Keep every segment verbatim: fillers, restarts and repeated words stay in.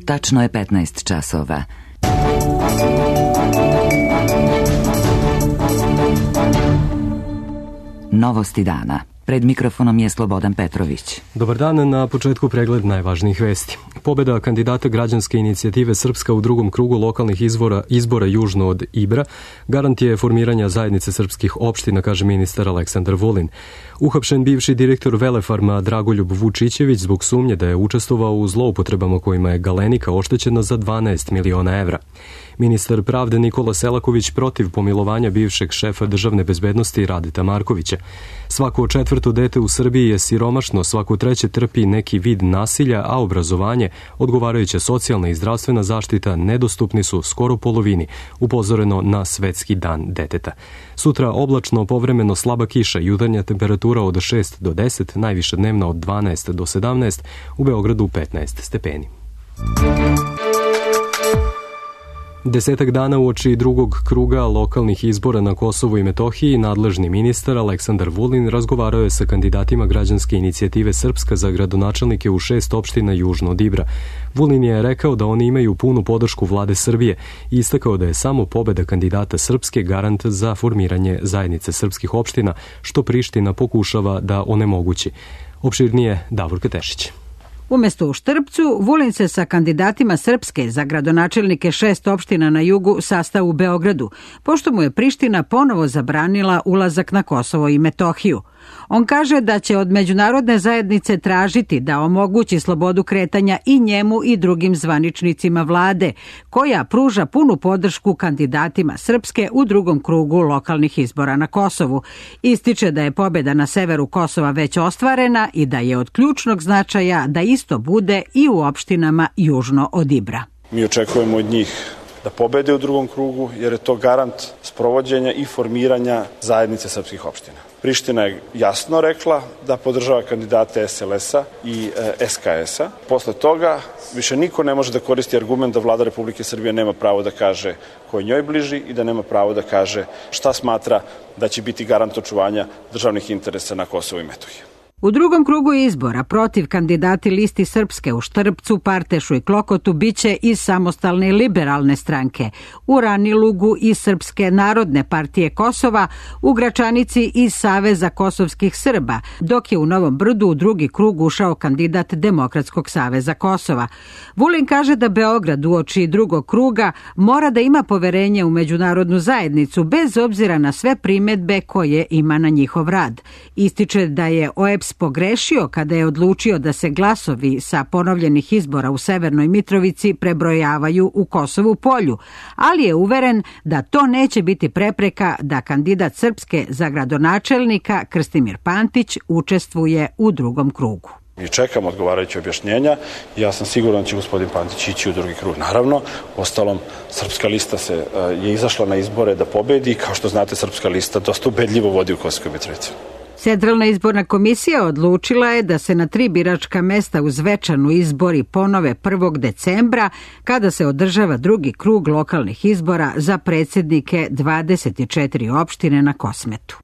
Tačno je petnaest časova. Novosti dana. Pred mikrofonom je Slobodan Petrović. Dobar dan, na početku pregled najvažnijih vesti. Pobeda kandidata građanske inicijative Srpska u drugom krugu lokalnih izbora, izbora južno od Ibra garant je formiranja zajednice srpskih opština, kaže ministar Aleksandar Vulin. Uhapšen bivši direktor Velefarma Dragoljub Vučićević zbog sumnje da je učestvovao u zloupotrebama kojima je Galenika oštećena za dvanaest miliona evra. Ministar pravde Nikola Selaković protiv pomilovanja bivšeg šefa državne bezbednosti Radeta Markovića. Svako četvrto dete u Srbiji je siromašno, svako treće trpi neki vid nasilja, a obrazovanje, odgovarajuća socijalna i zdravstvena zaštita nedostupni su skoro polovini, upozoreno na Svetski dan deteta. Sutra oblačno, povremeno slaba kiša, jutarnja temperatura od šest do deset, najviša dnevna od dvanaest do sedamnaest, u Beogradu petnaest stepeni. Desetak dana uoči drugog kruga lokalnih izbora na Kosovu i Metohiji, nadležni ministar Aleksandar Vulin razgovarao je sa kandidatima građanske inicijative Srpska za gradonačelnike u šest opština južno od Ibra. Vulin je rekao da oni imaju punu podršku vlade Srbije i istakao da je samo pobeda kandidata Srpske garant za formiranje zajednice srpskih opština, što Priština pokušava da onemogući. Opširnije Davorka Tešić. Umesto u Štrpcu, Vulin se sa kandidatima Srpske za gradonačelnike šest opština na jugu sastao u Beogradu, pošto mu je Priština ponovo zabranila ulazak na Kosovo i Metohiju. On kaže da će od međunarodne zajednice tražiti da omogući slobodu kretanja i njemu i drugim zvaničnicima vlade, koja pruža punu podršku kandidatima Srpske u drugom krugu lokalnih izbora na Kosovu. Ističe da je pobeda na severu Kosova već ostvarena i da je od ključnog značaja da isto bude i u opštinama južno od Ibra. Mi očekujemo od njih da pobede u drugom krugu, jer je to garant sprovođenja i formiranja zajednice srpskih opština. Priština je jasno rekla da podržava kandidate es el es a i es ka es a. Posle toga više niko ne može da koristi argument da vlada Republike Srbije nema pravo da kaže ko je njoj bliži i da nema pravo da kaže šta smatra da će biti garant očuvanja državnih interesa na Kosovu i Metohiji. U drugom krugu izbora protiv kandidati listi Srpske u Štrpcu, Partešu i Klokotu biće iz samostalne liberalne stranke, u Ranilugu i Srpske narodne partije Kosova, u Gračanici iz Saveza kosovskih Srba, dok je u Novom Brdu u drugi krug ušao kandidat Demokratskog saveza Kosova. Vulin kaže da Beograd uoči drugog kruga mora da ima poverenje u međunarodnu zajednicu bez obzira na sve primedbe koje ima na njihov rad. Ističe da je o e pe es pogrešio kada je odlučio da se glasovi sa ponovljenih izbora u Severnoj Mitrovici prebrojavaju u Kosovu polju, ali je uveren da to neće biti prepreka da kandidat Srpske za gradonačelnika Krstimir Pantić učestvuje u drugom krugu. Mi čekamo odgovarajuće objašnjenja i ja sam siguran da će gospodin Pantić ići u drugi krug. Naravno, ostalom, Srpska lista se je izašla na izbore da pobedi i kao što znate, Srpska lista dosta ubedljivo vodi u Kosovskoj Mitrovici. Centralna izborna komisija odlučila je da se na tri biračka mesta u Zvečanu izbori ponove prvog decembra, kada se održava drugi krug lokalnih izbora za predsjednike dvadeset četiri opštine na Kosmetu.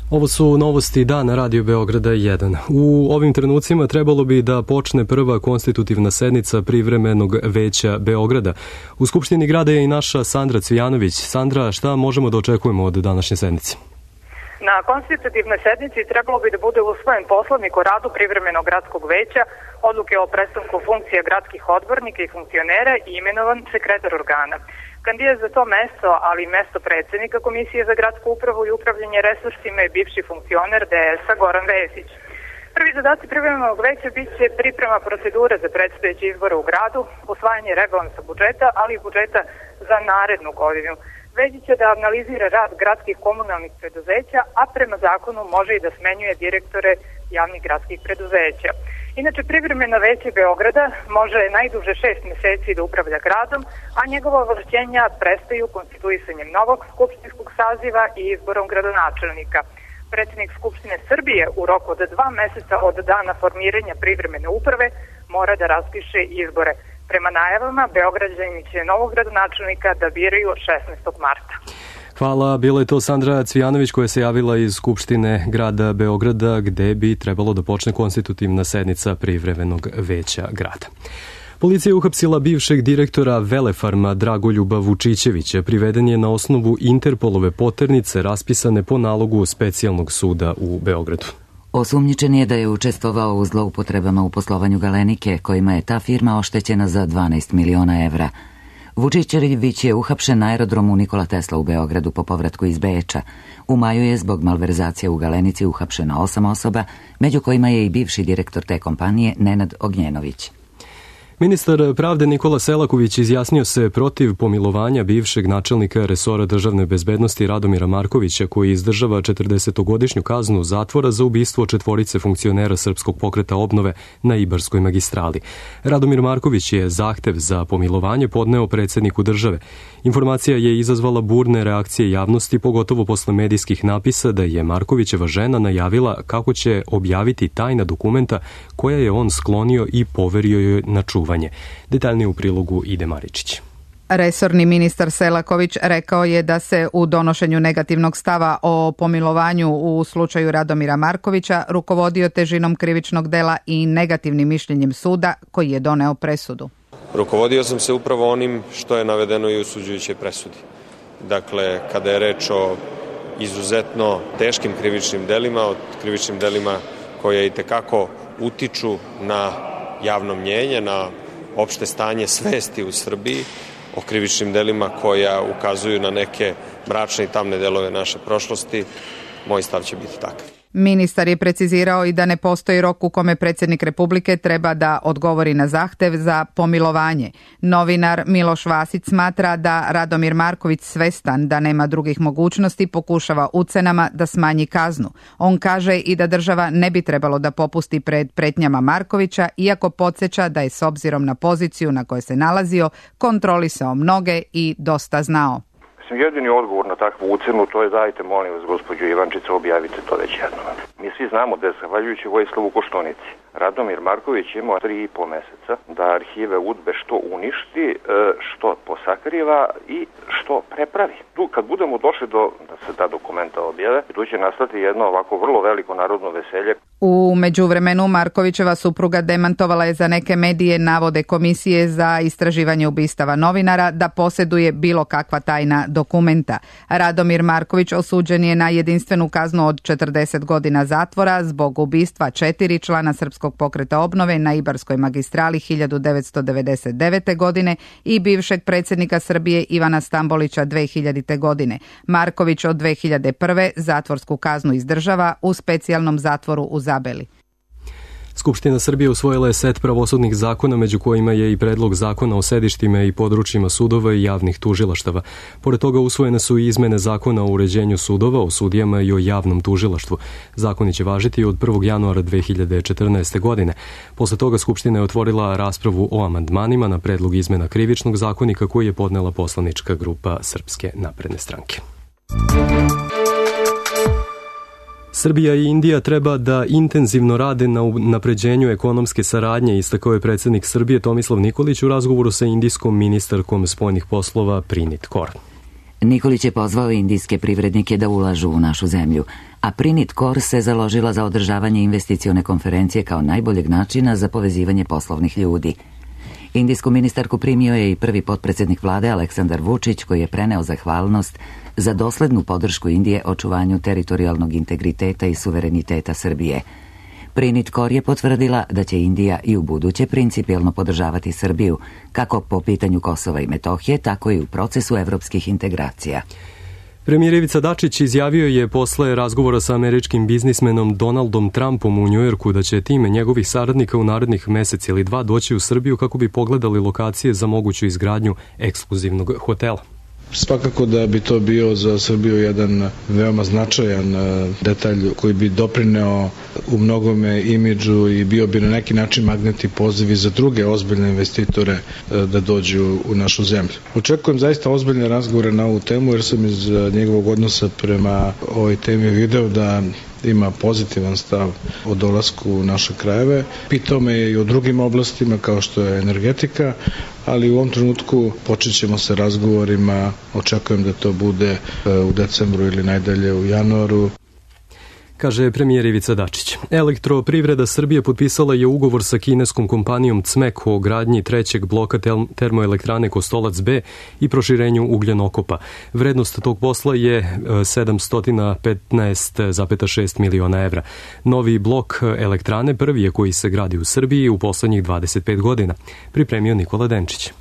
Ovo su novosti dana Radio Beograda jedan. U ovim trenucima trebalo bi da počne prva konstitutivna sednica privremenog veća Beograda. U Skupštini grada je i naša Sandra Cvijanović. Sandra, šta možemo da očekujemo od današnje sednice? Na konstitutivnoj sednici trebalo bi da bude usvojen poslovnik o radu privremenog gradskog veća, odluke o prestanku funkcije gradskih odbornika i funkcionera i imenovan sekretar organa. Kandidat za to mesto, ali i mesto predsjednika Komisije za gradsku upravu i upravljanje resursima je bivši funkcioner de es a Goran Vesić. Prvi zadaci privremenog veća biće priprema procedure za predstojeće izbore u gradu, usvajanje rebalansa budžeta, ali i budžeta za narednu godinu. Veći će da analizira rad gradskih komunalnih preduzeća, a prema zakonu može i da smenjuje direktore javnih gradskih preduzeća. Inače, privremeno veće Beograda može najduže šest meseci da upravlja gradom, a njegova ovlašćenja prestaju konstituisanjem novog skupštinskog saziva i izborom gradonačelnika. Predsjednik Skupštine Srbije u roku od dva meseca od dana formiranja privremene uprave mora da raspiše izbore. Prema najavama, Beograđani će novog gradonačelnika da biraju šesnaestog marta. Hvala, bila je to Sandra Cvijanović koja se javila iz Skupštine grada Beograda, gde bi trebalo da počne konstitutivna sednica privremenog veća grada. Policija je uhapsila bivšeg direktora Velefarma Dragoljuba Vučićevića. Priveden je na osnovu Interpolove poternice raspisane po nalogu specijalnog suda u Beogradu. Osumnjičen je da je učestvovao u zloupotrebama u poslovanju Galenike, kojima je ta firma oštećena za dvanaest miliona evra. Vučićević je uhapšen na aerodromu Nikola Tesla u Beogradu po povratku iz Beča. U maju je zbog malverzacije u Galenici uhapšeno osam osoba, među kojima je i bivši direktor te kompanije Nenad Ognjenović. Ministar pravde Nikola Selaković izjasnio se protiv pomilovanja bivšeg načelnika resora državne bezbednosti Radomira Markovića, koji izdržava četrdesetogodišnju kaznu zatvora za ubistvo četvorice funkcionera Srpskog pokreta obnove na Ibarskoj magistrali. Radomir Marković je zahtev za pomilovanje podneo predsjedniku države. Informacija je izazvala burne reakcije javnosti, pogotovo posle medijskih napisa da je Markovićeva žena najavila kako će objaviti tajna dokumenta koja je on sklonio i poverio joj na čuvanje. Detaljnije u prilogu Ide Maričić. Resorni ministar Selaković rekao je da se u donošenju negativnog stava o pomilovanju u slučaju Radomira Markovića rukovodio težinom krivičnog dela i negativnim mišljenjem suda koji je doneo presudu. Rukovodio sam se upravo onim što je navedeno i u osuđujućoj presudi. Dakle, kada je reč o izuzetno teškim krivičnim delima, o krivičnim delima koje itekako utiču na javno mnjenje, na opšte stanje svesti u Srbiji, o krivičnim delima koja ukazuju na neke mračne i tamne delove naše prošlosti, moj stav će biti takav. Ministar je precizirao i da ne postoji rok u kome predsjednik Republike treba da odgovori na zahtev za pomilovanje. Novinar Miloš Vasić smatra da Radomir Marković, svestan da nema drugih mogućnosti, pokušava ucenama da smanji kaznu. On kaže i da država ne bi trebalo da popusti pred pretnjama Markovića, iako podsjeća da je s obzirom na poziciju na kojoj se nalazio kontrolisao mnoge i dosta znao. Jedini odgovor na takvu ucenu to je dajte molim vas gospođo Ivančica, objavite to već jednom. Mi svi znamo da je zahvaljujući Vojislavu Koštunici Radomir Marković imao tri i po meseca da arhive UDBE što uništi, što posakriva i što prepravi. Tu kad budemo došli do da se ta dokumenta objave, tu će nastati jedno ovako vrlo veliko narodno veselje. U međuvremenu Markovićeva supruga demantovala je za neke medije navode Komisije za istraživanje ubistava novinara da posjeduje bilo kakva tajna dokumenta. Radomir Marković osuđen je na jedinstvenu kaznu od četrdeset godina zatvora zbog ubistva četiri člana Srpskog pokreta obnove na Ibarskoj magistrali hiljadu devetsto devedeset devete. godine i bivšeg predsjednika Srbije Ivana Stambolića dve hiljadite. godine. Marković od dve hiljade prve. zatvorsku kaznu izdržava u specijalnom zatvoru u Zabeli. Skupština Srbije usvojila je set pravosudnih zakona, među kojima je i predlog zakona o sedištima i područjima sudova i javnih tužilaštava. Pored toga usvojene su i izmene zakona o uređenju sudova, o sudijama i o javnom tužilaštvu. Zakoni će važiti od prvog januara dve hiljade četrnaeste. godine. Posle toga Skupština je otvorila raspravu o amandmanima na predlog izmena krivičnog zakonika koji je podnela poslanička grupa Srpske napredne stranke. Srbija i Indija treba da intenzivno rade na unapređenju ekonomske saradnje, istakao je predsjednik Srbije Tomislav Nikolić u razgovoru sa indijskom ministarkom spoljnih poslova Prinit Kaur. Nikolić je pozvao indijske privrednike da ulažu u našu zemlju, a Prinit Kaur se založila za održavanje investicione konferencije kao najboljeg načina za povezivanje poslovnih ljudi. Indijsku ministarku primio je i prvi potpredsjednik vlade Aleksandar Vučić, koji je preneo zahvalnost za doslednu podršku Indije očuvanju teritorijalnog integriteta i suvereniteta Srbije. Prinit Kaur je potvrdila da će Indija i u buduće principijelno podržavati Srbiju, kako po pitanju Kosova i Metohije, tako i u procesu evropskih integracija. Premijer Ivica Dačić izjavio je posle razgovora sa američkim biznismenom Donaldom Trumpom u Njujorku da će tim njegovih saradnika u narednih mesec ili dva doći u Srbiju kako bi pogledali lokacije za moguću izgradnju ekskluzivnog hotela. Svakako da bi to bio za Srbiju jedan veoma značajan detalj koji bi doprineo u mnogome imidžu i bio bi na neki način magnet i poziv za druge ozbiljne investitore da dođu u našu zemlju. Očekujem zaista ozbiljne razgovore na ovu temu jer sam iz njegovog odnosa prema ovoj temi video da ima pozitivan stav o dolasku u naše krajeve. Pitao me i o drugim oblastima kao što je energetika, ali u ovom trenutku počet ćemo sa razgovorima, očekujem da to bude u decembru ili najdalje u januaru. kaže premijer Ivica Dačić. Elektroprivreda Srbije potpisala je ugovor sa kineskom kompanijom C M E K o gradnji trećeg bloka termoelektrane Kostolac B i proširenju ugljenokopa. Vrednost tog posla je sedamsto petnaest zarez šest miliona evra. Novi blok elektrane prvi je koji se gradi u Srbiji u poslednjih dvadeset pet godina. Pripremio Nikola Denčić.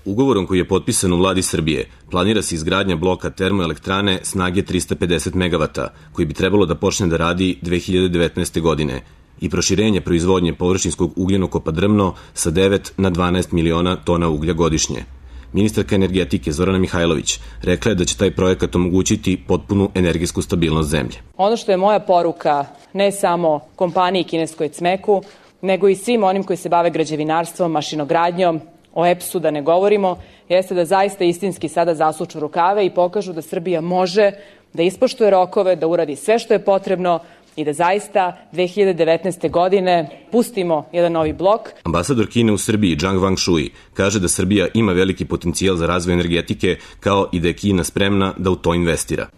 Ugovorom koji je potpisan u vladi Srbije planira se izgradnja bloka termoelektrane snage trista pedeset megavata, koji bi trebalo da počne da radi dve hiljade devetnaeste. godine i proširenje proizvodnje površinskog ugljenokopa Drmno sa devet na dvanaest miliona tona uglja godišnje. Ministarka energetike Zorana Mihajlović rekla je da će taj projekat omogućiti potpunu energetsku stabilnost zemlje. Ono što je moja poruka ne samo kompaniji kineskoj C M E K-u, nego i svim onim koji se bave građevinarstvom, mašinogradnjom, o E P S-u da ne govorimo, jeste da zaista istinski sada zasuču rukave i pokažu da Srbija može da ispoštuje rokove, da uradi sve što je potrebno i da zaista dve hiljade devetnaeste. godine pustimo jedan novi blok. Ambasador Kine u Srbiji Zhang Wangshui kaže da Srbija ima veliki potencijal za razvoj energetike, kao i da je Kina spremna da u to investira.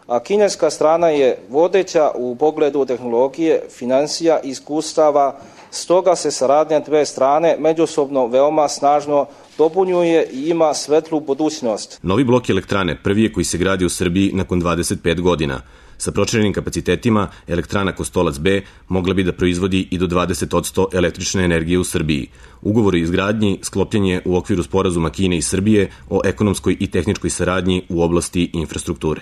A kineska strana je vodeća u pogledu tehnologije, finansija i iskustava, stoga se saradnja dve strane međusobno veoma snažno dopunjuje i ima svetlu budućnost. Novi blok elektrane prvi je koji se gradi u Srbiji nakon dvadeset pet godina. Sa proširenim kapacitetima, elektrana Kostolac B mogla bi da proizvodi i do dvadeset posto električne energije u Srbiji. Ugovor o izgradnji sklopljen je u okviru sporazuma Kine i Srbije o ekonomskoj i tehničkoj saradnji u oblasti infrastrukture.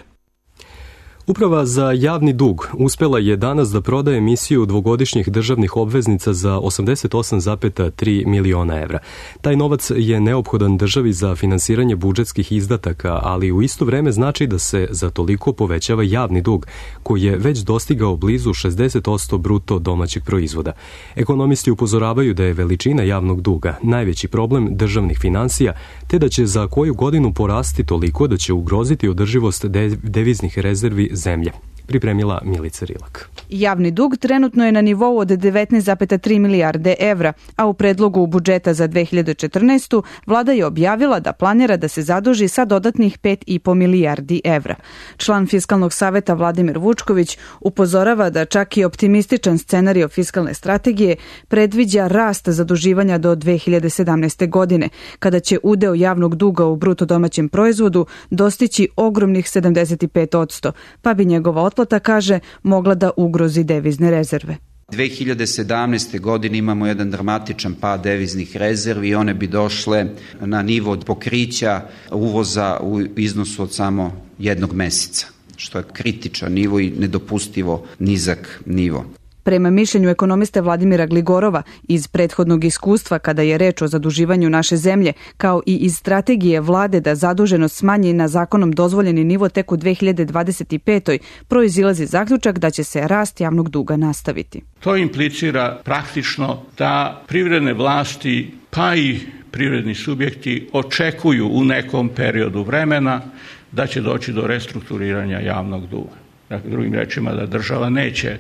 Uprava za javni dug uspela je danas da proda emisiju dvogodišnjih državnih obveznica za osamdeset osam zarez tri miliona evra. Taj novac je neophodan državi za finansiranje budžetskih izdataka, ali u isto vreme znači da se za toliko povećava javni dug, koji je već dostigao blizu šezdeset posto bruto domaćeg proizvoda. Ekonomisti upozoravaju da je veličina javnog duga najveći problem državnih finansija, te da će za koju godinu porasti toliko da će ugroziti održivost deviznih rezervi zemlje. Pripremila Milica Rilak. Javni dug trenutno je na nivou od devetnaest zarez tri milijarde evra, a u predlogu budžeta za dve hiljade četrnaestu. vlada je objavila da planira da se zaduži sa dodatnih pet i po milijardi evra. Član Fiskalnog saveta Vladimir Vučković upozorava da čak i optimističan scenario fiskalne strategije predviđa rast zaduživanja do dve hiljade sedamnaeste. godine, kada će udeo javnog duga u bruto domaćem proizvodu dostići ogromnih sedamdeset pet posto, pa bi njegova otplata, kaže, mogla da ugrozi devizne rezerve. dve hiljade sedamnaeste. godine imamo jedan dramatičan pad deviznih rezervi i one bi došle na nivo pokrića uvoza u iznosu od samo jednog meseca, što je kritičan nivo i nedopustivo nizak nivo. Prema mišljenju ekonomiste Vladimira Gligorova, iz prethodnog iskustva kada je reč o zaduživanju naše zemlje, kao i iz strategije vlade da zaduženost smanji na zakonom dozvoljeni nivo tek u dve hiljade dvadeset petoj. proizilazi zaključak da će se rast javnog duga nastaviti. To implicira praktično da privredne vlasti pa i privredni subjekti očekuju u nekom periodu vremena da će doći do restrukturiranja javnog duga. Dakle, drugim rečima da država neće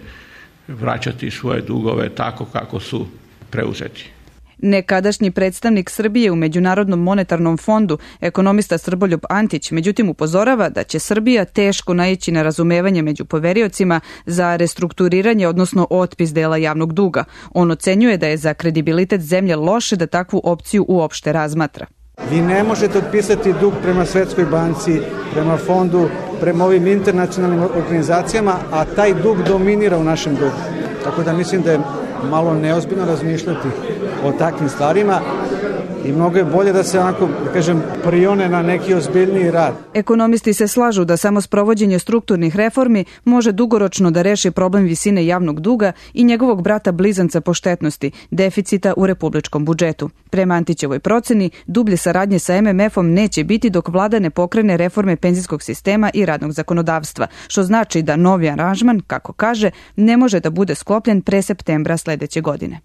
vraćati svoje dugove tako kako su preuzeti. Nekadašnji predstavnik Srbije u Međunarodnom monetarnom fondu, ekonomista Srboljub Antić, međutim upozorava da će Srbija teško naići na razumevanje među poveriocima za restrukturiranje, odnosno otpis dela javnog duga. On ocenjuje da je za kredibilitet zemlje loše da takvu opciju uopšte razmatra. Vi ne možete otpisati dug prema Svetskoj banci, prema fondu, prema ovim internacionalnim organizacijama, a taj dug dominira u našem dugu. Tako da mislim da je malo neozbiljno razmišljati o takvim stvarima i mnogo je bolje da se onako, da kažem, prione na neki ozbiljniji rad. Ekonomisti se slažu da samo sprovođenje strukturnih reformi može dugoročno da reši problem visine javnog duga i njegovog brata blizanca po štetnosti, deficita u republičkom budžetu. Prema Antićevoj proceni, dublje saradnje sa em em efom neće biti dok vlada ne pokrene reforme penzijskog sistema i radnog zakonodavstva, što znači da novi aranžman, kako kaže, ne može da bude sklopljen pre septembra sledeće godine.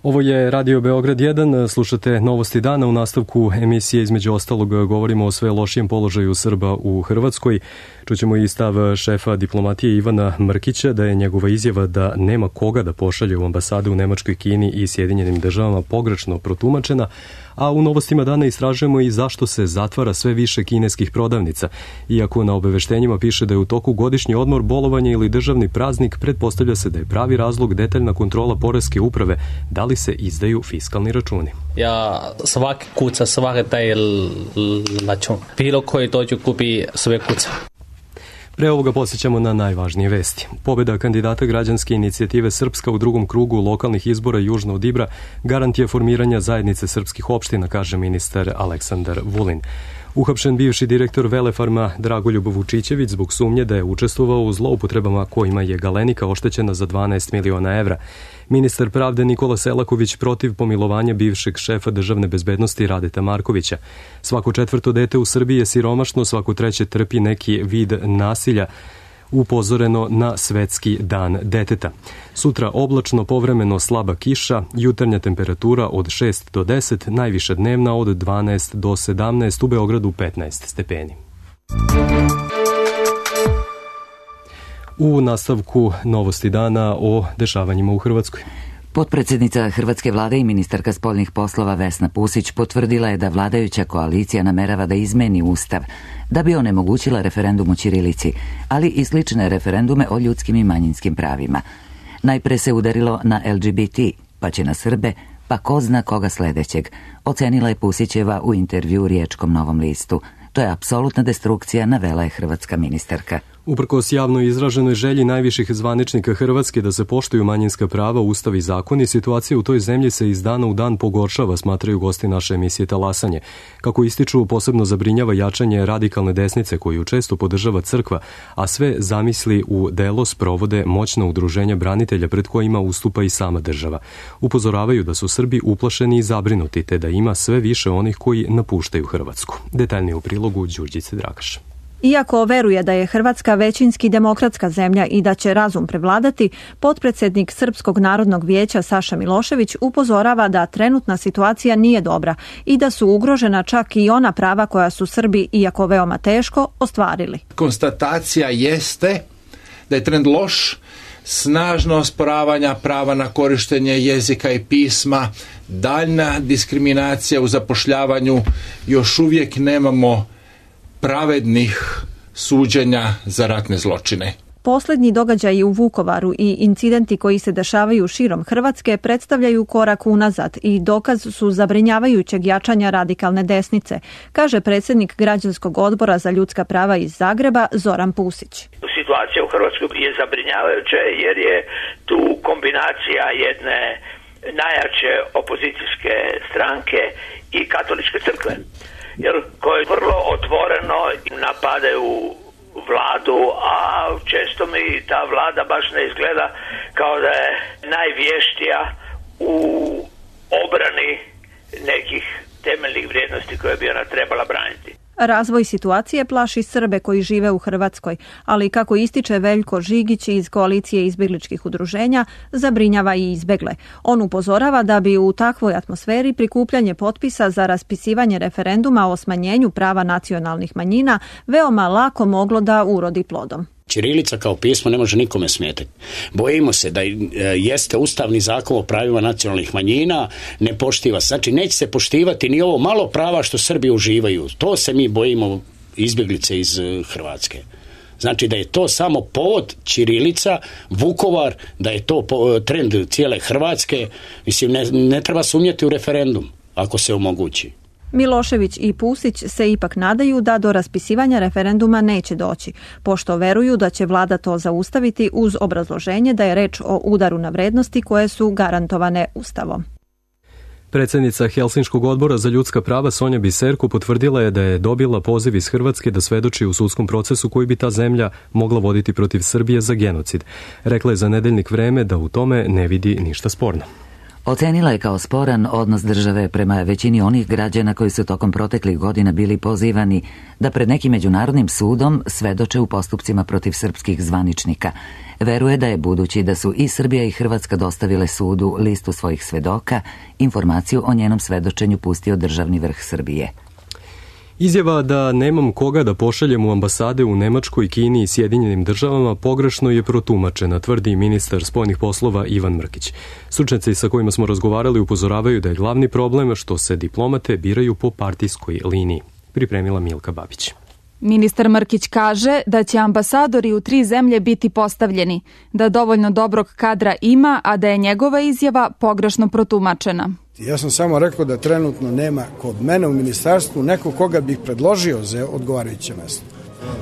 Ovo je Radio Beograd jedan, slušate Novosti dana. U nastavku emisije između ostalog govorimo o sve lošijem položaju Srba u Hrvatskoj. Čućemo i stav šefa diplomatije Ivana Mrkića da je njegova izjava da nema koga da pošalje u ambasade u Nemačkoj, Kini i Sjedinjenim državama pogrešno protumačena, a u Novostima dana istražujemo i zašto se zatvara sve više kineskih prodavnica. Iako na obaveštenjima piše da je u toku godišnji odmor, bolovanje ili državni praznik, pretpostavlja se da je pravi razlog detaljna kontrola poreske uprave, da li se izdaju fiskalni računi. Ja svaki kuca, svaki taj račun. Bilo koji dođu kupi sve kuca. Pre ovoga posjećamo na najvažnije vesti. Pobjeda kandidata građanske inicijative Srpska u drugom krugu lokalnih izbora južno od Ibra garant je formiranja zajednice srpskih opština, kaže ministar Aleksandar Vulin. Uhapšen bivši direktor Velefarma Dragoljub Vučićević zbog sumnje da je učestvovao u zloupotrebama kojima je Galenika oštećena za dvanaest miliona evra. Ministar pravde Nikola Selaković protiv pomilovanja bivšeg šefa državne bezbednosti Radeta Markovića. Svako četvrto dete u Srbiji je siromašno, svako treće trpi neki vid nasilja, upozoreno na Svetski dan deteta. Sutra oblačno, povremeno slaba kiša, jutarnja temperatura od šest do deset, najviša dnevna od dvanaest do sedamnaest, u Beogradu petnaest stepeni. U nastavku Novosti dana o dešavanjima u Hrvatskoj. Potpredsjednica Hrvatske vlade i ministarka spoljnih poslova Vesna Pusić potvrdila je da vladajuća koalicija namerava da izmeni ustav da bi onemogućila referendum o ćirilici, ali i slične referendume o ljudskim i manjinskim pravima. Najpre se udarilo na L G B T, pa će na Srbe, pa ko zna koga sledećeg, ocenila je Pusićeva u intervju u Riječkom Novom listu. To je apsolutna destrukcija, navela je hrvatska ministarka. Uprkos javno izraženoj želji najviših zvaničnika Hrvatske da se poštuju manjinska prava, ustav i zakoni, situacija u toj zemlji se iz dana u dan pogoršava, smatraju gosti naše emisije Talasanje. Kako ističu, posebno zabrinjava jačanje radikalne desnice koju često podržava crkva, a sve zamisli u delo sprovode moćna udruženja branitelja pred kojima ustupa i sama država. Upozoravaju da su Srbi uplašeni i zabrinuti, te da ima sve više onih koji napuštaju Hrvatsku. Detaljnije u prilogu Đurđice Dragaš. Iako veruje da je Hrvatska većinski demokratska zemlja i da će razum prevladati, potpredsjednik Srpskog narodnog vijeća Saša Milošević upozorava da trenutna situacija nije dobra i da su ugrožena čak i ona prava koja su Srbi, iako veoma teško, ostvarili. Konstatacija jeste da je trend loš, snažno osporavanja prava na korištenje jezika i pisma, daljna diskriminacija u zapošljavanju, još uvijek nemamo pravednih suđenja za ratne zločine. Posljednji događaji u Vukovaru i incidenti koji se dešavaju širom Hrvatske predstavljaju korak unazad i dokaz su zabrinjavajućeg jačanja radikalne desnice, kaže predsjednik Građanskog odbora za ljudska prava iz Zagreba Zoran Pusić. Situacija u Hrvatskoj je zabrinjavajuća jer je tu kombinacija jedne najjače opozicijske stranke i katoličke crkve, jer koje vrlo otvoreno napadaju vladu, a često mi ta vlada baš ne izgleda kao da je najvještija u obrani nekih temeljnih vrijednosti koje bi ona trebala braniti. Razvoj situacije plaši Srbe koji žive u Hrvatskoj, ali kako ističe Veljko Žigić iz koalicije izbjegličkih udruženja, zabrinjava i izbjegle. On upozorava da bi u takvoj atmosferi prikupljanje potpisa za raspisivanje referenduma o smanjenju prava nacionalnih manjina veoma lako moglo da urodi plodom. Ćirilica kao pismo ne može nikome smetati. Bojimo se da jeste ustavni zakon o pravima nacionalnih manjina, ne poštiva. Znači, neće se poštivati ni ovo malo prava što Srbi uživaju. To se mi bojimo, izbjeglice iz Hrvatske. Znači da je to samo povod ćirilica, Vukovar, da je to trend cijele Hrvatske. Mislim, ne, ne treba sumnjati u referendum, ako se omogući. Milošević i Pusić se ipak nadaju da do raspisivanja referenduma neće doći, pošto veruju da će vlada to zaustaviti uz obrazloženje da je reč o udaru na vrednosti koje su garantovane Ustavom. Predsjednica Helsinškog odbora za ljudska prava Sonja Biserko potvrdila je da je dobila poziv iz Hrvatske da svedoči u sudskom procesu koji bi ta zemlja mogla voditi protiv Srbije za genocid. Rekla je za nedeljnik Vreme da u tome ne vidi ništa sporno. Ocenila je kao sporan odnos države prema većini onih građana koji su tokom proteklih godina bili pozivani da pred nekim međunarodnim sudom svedoče u postupcima protiv srpskih zvaničnika. Veruje da je, budući da su i Srbija i Hrvatska dostavile sudu listu svojih svedoka, informaciju o njenom svedočenju pustio državni vrh Srbije. Izjava da nemam koga da pošaljem u ambasade u Nemačkoj, Kini i Sjedinjenim državama pogrešno je protumačena, tvrdi ministar spoljnih poslova Ivan Mrkić. Stručnjaci sa kojima smo razgovarali upozoravaju da je glavni problem što se diplomate biraju po partijskoj liniji. Pripremila Milka Babić. Ministar Mrkić kaže da će ambasadori u tri zemlje biti postavljeni, da dovoljno dobrog kadra ima, a da je njegova izjava pogrešno protumačena. Ja sam samo rekao da trenutno nema kod mene u ministarstvu neko koga bih predložio za odgovarajuće mesto.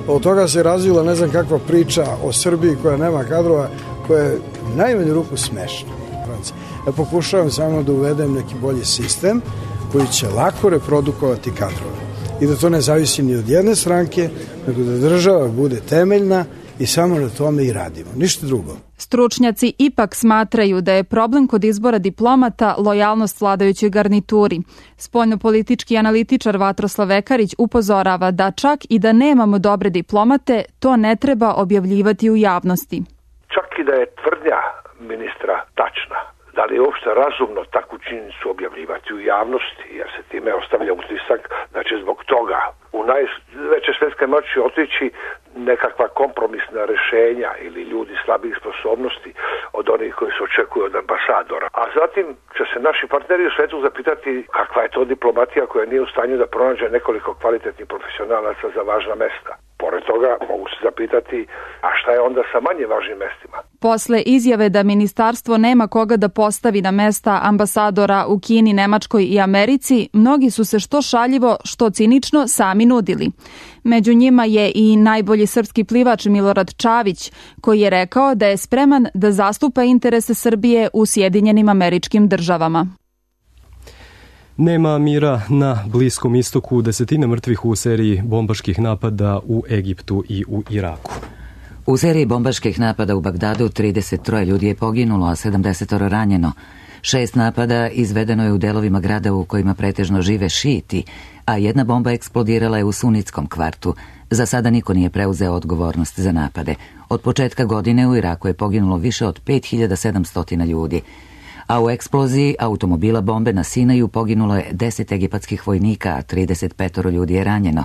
Od toga se razvila ne znam kakva priča o Srbiji koja nema kadrova, koja je u najmanju ruku smešna. Ja pokušavam samo da uvedem neki bolji sistem koji će lako reprodukovati kadrove. I da to ne zavisi ni od jedne stranke, nego da država bude temeljna i samo na tome i radimo. Ništa drugo. Stručnjaci ipak smatraju da je problem kod izbora diplomata lojalnost vladajućoj garnituri. Spoljnopolitički analitičar Vatroslav Vekarić upozorava da čak i da nemamo dobre diplomate, to ne treba objavljivati u javnosti. Čak i da je tvrdnja ministra tačna, da li je uopšte razumno takvu činjenicu objavljivati u javnosti, jer se time ostavlja utisak da će zbog toga u najveće svetske moći otići nekakva kompromisna rešenja ili ljudi slabih sposobnosti od onih koji se očekuju od ambasadora. A zatim će se naši partneri u svetu zapitati kakva je to diplomatija koja nije u stanju da pronađe nekoliko kvalitetnih profesionalaca za važna mesta. Pored toga mogu se zapitati, a šta je onda sa manje važnim mestima? Posle izjave da ministarstvo nema koga da postavi na mesta ambasadora u Kini, Nemačkoj i Americi, mnogi su se što šaljivo, što cinično sami nudili. Među njima je i najbolji srpski plivač Milorad Čavić, koji je rekao da je spreman da zastupa interese Srbije u Sjedinjenim Američkim Državama. Nema mira na Bliskom istoku, desetine mrtvih u seriji bombaških napada u Egiptu i u Iraku. U seriji bombaških napada u Bagdadu trideset troje ljudi je poginulo, a sedamdeset ranjeno. Šest napada izvedeno je u delovima grada u kojima pretežno žive šiti, a jedna bomba eksplodirala je u sunitskom kvartu. Za sada niko nije preuzeo odgovornost za napade. Od početka godine u Iraku je poginulo više od pet hiljada sedamsto ljudi. A u eksploziji automobila bombe na Sinaju poginulo je deset egipatskih vojnika, a trideset pet ljudi je ranjeno.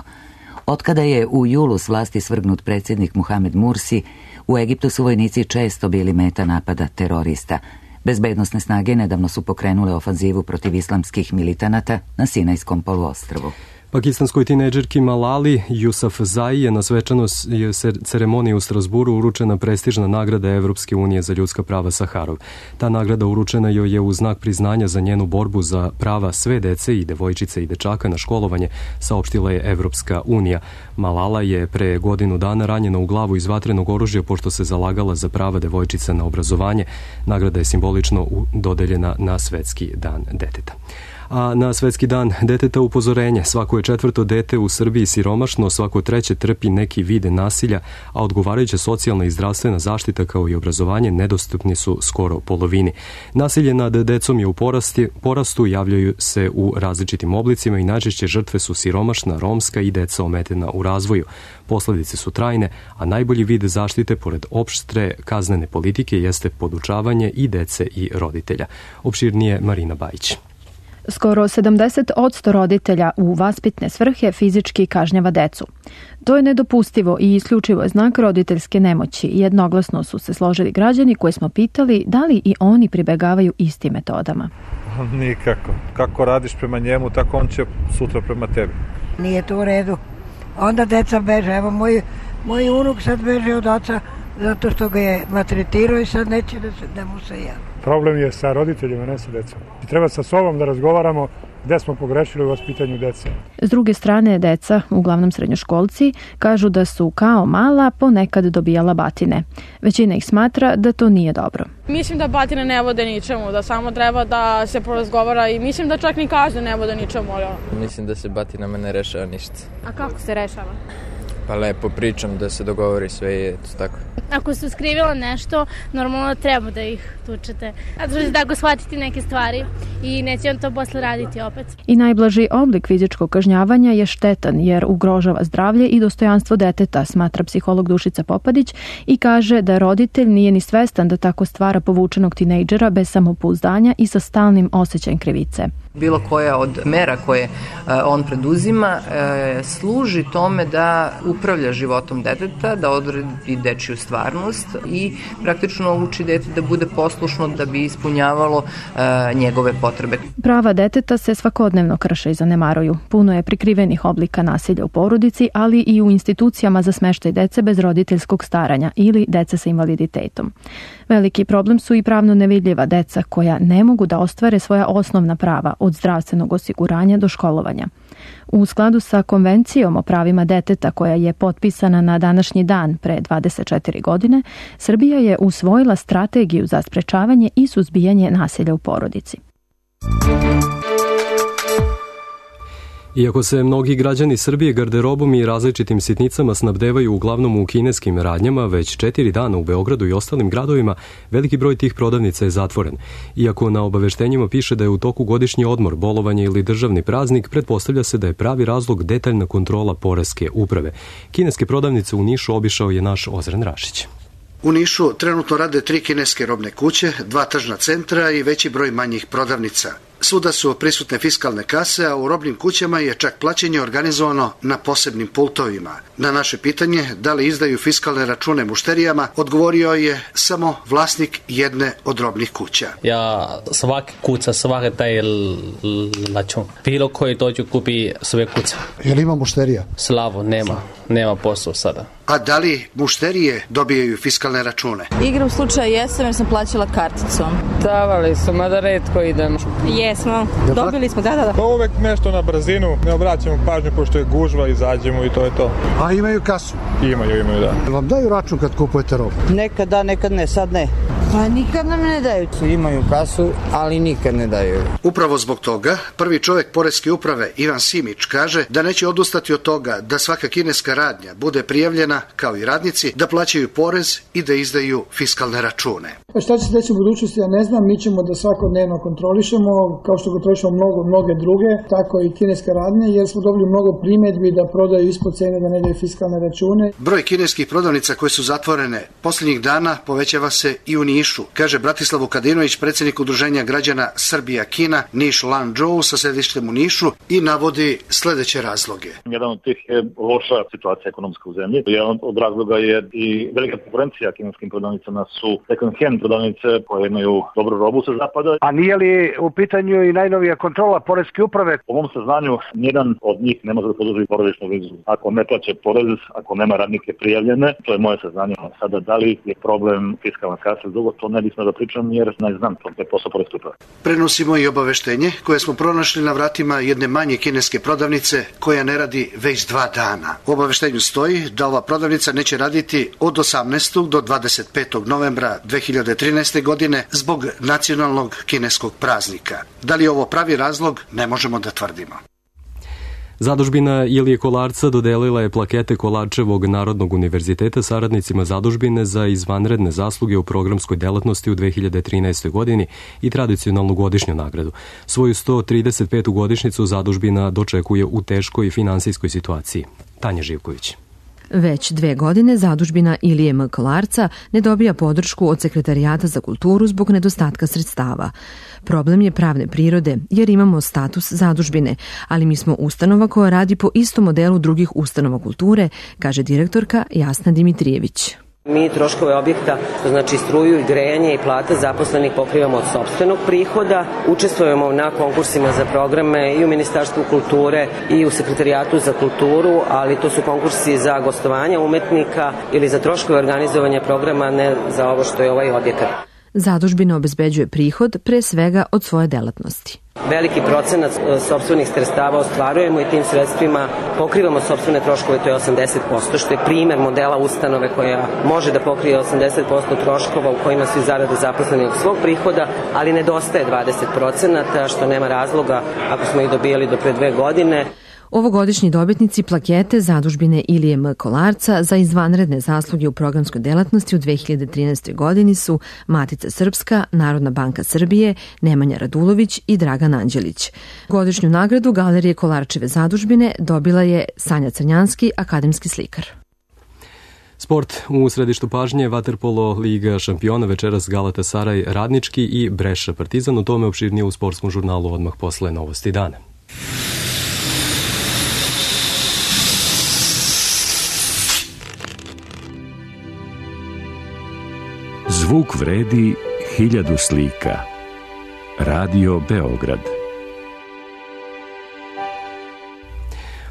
Otkada je u julu s vlasti svrgnut predsjednik Muhamed Mursi, u Egiptu su vojnici često bili meta napada terorista. Bezbednosne snage nedavno su pokrenule ofanzivu protiv islamskih militanata na Sinajskom poluostrvu. Pakistanskoj tinejdžerki Malali Yousafzai je na svečanoj ceremoniji u Strasburu uručena prestižna nagrada Evropske unije za ljudska prava Saharov. Ta nagrada uručena joj je u znak priznanja za njenu borbu za prava sve dece i devojčice i dečaka na školovanje, saopštila je Evropska unija. Malala je pre godinu dana ranjena u glavu iz vatrenog oružja pošto se zalagala za prava devojčica na obrazovanje. Nagrada je simbolično dodeljena na Svetski dan deteta. A na Svetski dan deteta upozorenje. Svako je četvrto dete u Srbiji siromašno, svako treće trpi neki vid nasilja, a odgovarajuća socijalna i zdravstvena zaštita kao i obrazovanje nedostupni su skoro polovini. Nasilje nad decom je u porasti, porastu, javljaju se u različitim oblicima i najčešće žrtve su siromašna, romska i deca ometena u razvoju. Posledice su trajne, a najbolji vid zaštite pored opštre kaznene politike jeste podučavanje i dece i roditelja. Opširnije Marina Bajić. Skoro sedamdeset posto roditelja u vaspitne svrhe fizički kažnjava decu. To je nedopustivo i isključivo je znak roditeljske nemoći. Jednoglasno su se složili građani koje smo pitali da li i oni pribegavaju istim metodama. Nikako. Kako radiš prema njemu, tako on će sutra prema tebi. Nije to u redu. Onda deca beže. Evo, moj, moj unuk sad beže od oca zato što ga je maltretirao i sad neće da, se, da mu se javi. Problem je sa roditeljima, ne sa decom. I treba sa sobom da razgovaramo gde smo pogrešili u vaspitanju dece. S druge strane, deca, uglavnom srednjoškolci, kažu da su kao mala ponekad dobijala batine. Većina ih smatra da to nije dobro. Mislim da batine ne vode ničemu, da samo treba da se porazgovara i mislim da čak ni kazne ne vode ničemu. Ali... Mislim da se batinama ne rešava ništa. A kako se rešava? Pa lepo pričam da se dogovori sve i eto tako. Ako su skrivila nešto, normalno treba da ih tučete. A da će tako shvatiti neke stvari i neće on to posle raditi opet. I najblaži oblik fizičkog kažnjavanja je štetan jer ugrožava zdravlje i dostojanstvo deteta, smatra psiholog Dušica Popadić i kaže da roditelj nije ni svestan da tako stvara povučenog tinejdžera bez samopouzdanja i sa stalnim osjećajem krivice. Bilo koja od mera koje on preduzima služi tome da upravlja životom deteta, da odredi dečiju stvarnost i praktično uči dete da bude poslušno da bi ispunjavalo njegove potrebe. Prava deteta se svakodnevno krše i zanemaruju. Puno je prikrivenih oblika nasilja u porodici, ali i u institucijama za smeštaj dece bez roditeljskog staranja ili dece sa invaliditetom. Veliki problem su i pravno nevidljiva deca koja ne mogu da ostvare svoja osnovna prava od zdravstvenog osiguranja do školovanja. U skladu sa Konvencijom o pravima deteta koja je potpisana na današnji dan pre dvadeset četiri godine, Srbija je usvojila strategiju za sprečavanje i suzbijanje nasilja u porodici. Iako se mnogi građani Srbije garderobom i različitim sitnicama snabdevaju uglavnom u kineskim radnjama, već četiri dana u Beogradu i ostalim gradovima veliki broj tih prodavnica je zatvoren. Iako na obaveštenjima piše da je u toku godišnji odmor, bolovanje ili državni praznik, pretpostavlja se da je pravi razlog detaljna kontrola poreske uprave. Kineske prodavnice u Nišu obišao je naš Ozren Rašić. U Nišu trenutno rade tri kineske robne kuće, dva tržna centra i veći broj manjih prodavnica. Svuda su prisutne fiskalne kase, a u robnim kućama je čak plaćanje organizovano na posebnim pultovima. Na naše pitanje da li izdaju fiskalne račune mušterijama, odgovorio je samo vlasnik jedne od robnih kuća. Ja svaki kuca, svaki taj račun. Bilo koji dođu kupi sve kuca. Je li ima mušterija? Slavo, nema. Nema posao sada. A da li mušterije dobijaju fiskalne račune? Igram slučaja jesam jer sam plaćala karticom. Davali su, mada retko idem. Jesmo, dobili smo, da, da, da. Pa uvek nešto na brzinu, ne obraćamo pažnju pošto je gužva, izađemo i to je to. A imaju kasu? Imaju, imaju, da. Vam daju račun kad kupujete robu? Nekad da, nekad ne, sad ne. Pa nikad nam ne daju. Imaju kasu, ali nikad ne daju. Upravo zbog toga, prvi čovjek poreske uprave, Ivan Simić, kaže da neće odustati od toga da svaka kineska radnja bude prijavljena, kao i radnici, da plaćaju porez i da izdaju fiskalne račune. Šta će se deći u budućnosti, ja ne znam, mi ćemo da svakodnevno kontrolišemo, kao što kontrolišemo mnogo, mnoge druge, tako i kineske radnje, jer smo dobili mnogo primjedbi da prodaju ispod cene, da ne daju fiskalne račune. Broj kineskih prodavnica koje su zatvorene posljednjih dana povećava se i u Nišu, kaže Bratislav Vukadinović, predsjednik Udruženja građana Srbija-Kina, Niš Lanzhou sa sedištem u Nišu, i navodi sledeće razloge. Jedan od tih je loša situacija ekonomska u zemlji. Jedan od razloga je i velika konkurencija kineskim prodavnicama su second hand prodavnice koje imaju dobru robu sa zapada. A nije li u pitanju i najnovija kontrola poreske uprave? Po mom saznanju, nijedan od njih ne može da podrži porodičnu vizu. Ako ne plaće porez, ako nema radnike prijavljene, to je moje saznanje. Sada, da li je problem fiskalna kasa, drugo, to ne bismo da pričam jer ne znam, to je posao poreske uprave. Prenosimo i obaveštenje koje smo pronašli na vratima jedne manje kineske prodavnice koja ne radi već dva dana. U obaveštenju stoji da ova prodavnica neće raditi od osamnaestog do dvadeset petog novembra dve hiljade trinaeste. godine zbog nacionalnog kineskog praznika. Da li je ovo pravi razlog, ne možemo da tvrdimo. Zadužbina Ilije Kolarca dodelila je plakete Kolarčevog Narodnog univerziteta saradnicima zadužbine za izvanredne zasluge u programskoj delatnosti u dve hiljade trinaestoj. godini i tradicionalnu godišnju nagradu. Svoju sto trideset petu godišnjicu zadužbina dočekuje u teškoj finansijskoj situaciji. Tanja Živković. Već dve godine zadužbina Ilije M. Kolarca ne dobija podršku od Sekretarijata za kulturu zbog nedostatka sredstava. Problem je pravne prirode jer imamo status zadužbine, ali mi smo ustanova koja radi po istom modelu drugih ustanova kulture, kaže direktorka Jasna Dimitrijević. Mi troškove objekta, znači struju i grejanje i plate zaposlenih pokrivamo od sopstvenog prihoda, učestvujemo na konkursima za programe i u Ministarstvu kulture i u Sekretarijatu za kulturu, ali to su konkursi za gostovanja umetnika ili za troškove organizovanja programa, ne za ovo što je ovaj objekat. Zadužbina obezbeđuje prihod pre svega od svoje delatnosti. Veliki procenat sopstvenih sredstava ostvarujemo i tim sredstvima pokrivamo sopstvene troškove, to je osamdeset posto, što je primer modela ustanove koja može da pokrije osamdeset posto troškova u kojima su zarade zaposleni od svog prihoda, ali nedostaje dvadeset procenata, što nema razloga ako smo ih dobijali do pre dve godine. Ovogodišnji dobitnici plakete zadužbine Ilije M. Kolarca za izvanredne zasluge u programskoj delatnosti u dve hiljade trinaestoj godini su Matica Srpska, Narodna banka Srbije, Nemanja Radulović i Dragan Anđelić. Godišnju nagradu Galerije Kolarčeve zadužbine dobila je Sanja Crnjanski, akademski slikar. Sport u središtu pažnje, vaterpolo Liga šampiona, večeras Galatasaray Radnički i Breša Partizan, o tome opširnije u sportskom žurnalu odmah posle Novosti dana. Zvuk vredi hiljadu slika. Radio Beograd.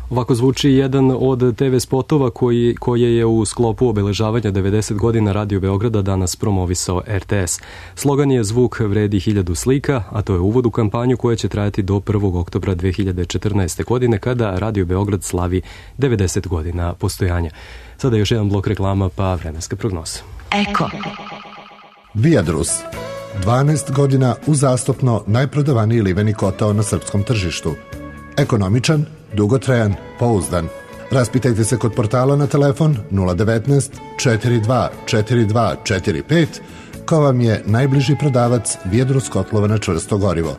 Ovako zvuči jedan od te ve spotova koji, koje je u sklopu obeležavanja devedeset godina Radio Beograda danas promovisao er te es. Slogan je Zvuk vredi hiljadu slika, a to je uvod u kampanju koja će trajati do prvog oktobra dve hiljade četrnaeste. godine kada Radio Beograd slavi devedeset godina postojanja. Sada još jedan blok reklama pa vremenska prognoza. Eko. Viadrus. dvanaest godina uzastopno najprodavaniji liveni kotao na srpskom tržištu. Ekonomičan, dugotrajan, pouzdan. Raspitajte se kod portala na telefon nula devetnaest četrdeset dva četrdeset dva četrdeset pet ko vam je najbliži prodavac Viadrus kotlova na čvrsto gorivo.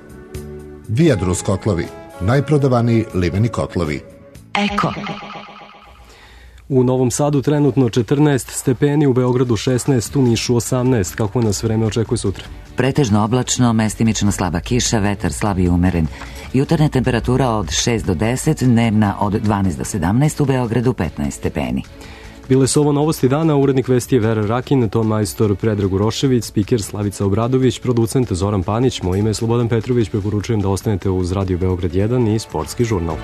Viadrus kotlovi, najprodavaniji liveni kotlovi. Eko. U Novom Sadu trenutno četrnaest stepeni, u Beogradu šesnaest, u Nišu osamnaest. Kako nas vreme očekuje sutra? Pretežno oblačno, mestimično slaba kiša, vetar slab i umeren. Jutarnja temperatura od šest do deset, dnevna od dvanaest do sedamnaest, u Beogradu petnaest stepeni. Bile su ovo Novosti dana, urednik vesti je Vera Rakin, ton majstor Predrag Urošević, spiker Slavica Obradović, producent Zoran Panić, moje ime je Slobodan Petrović, preporučujem da ostanete uz Radio Beograd jedan i sportski žurnal.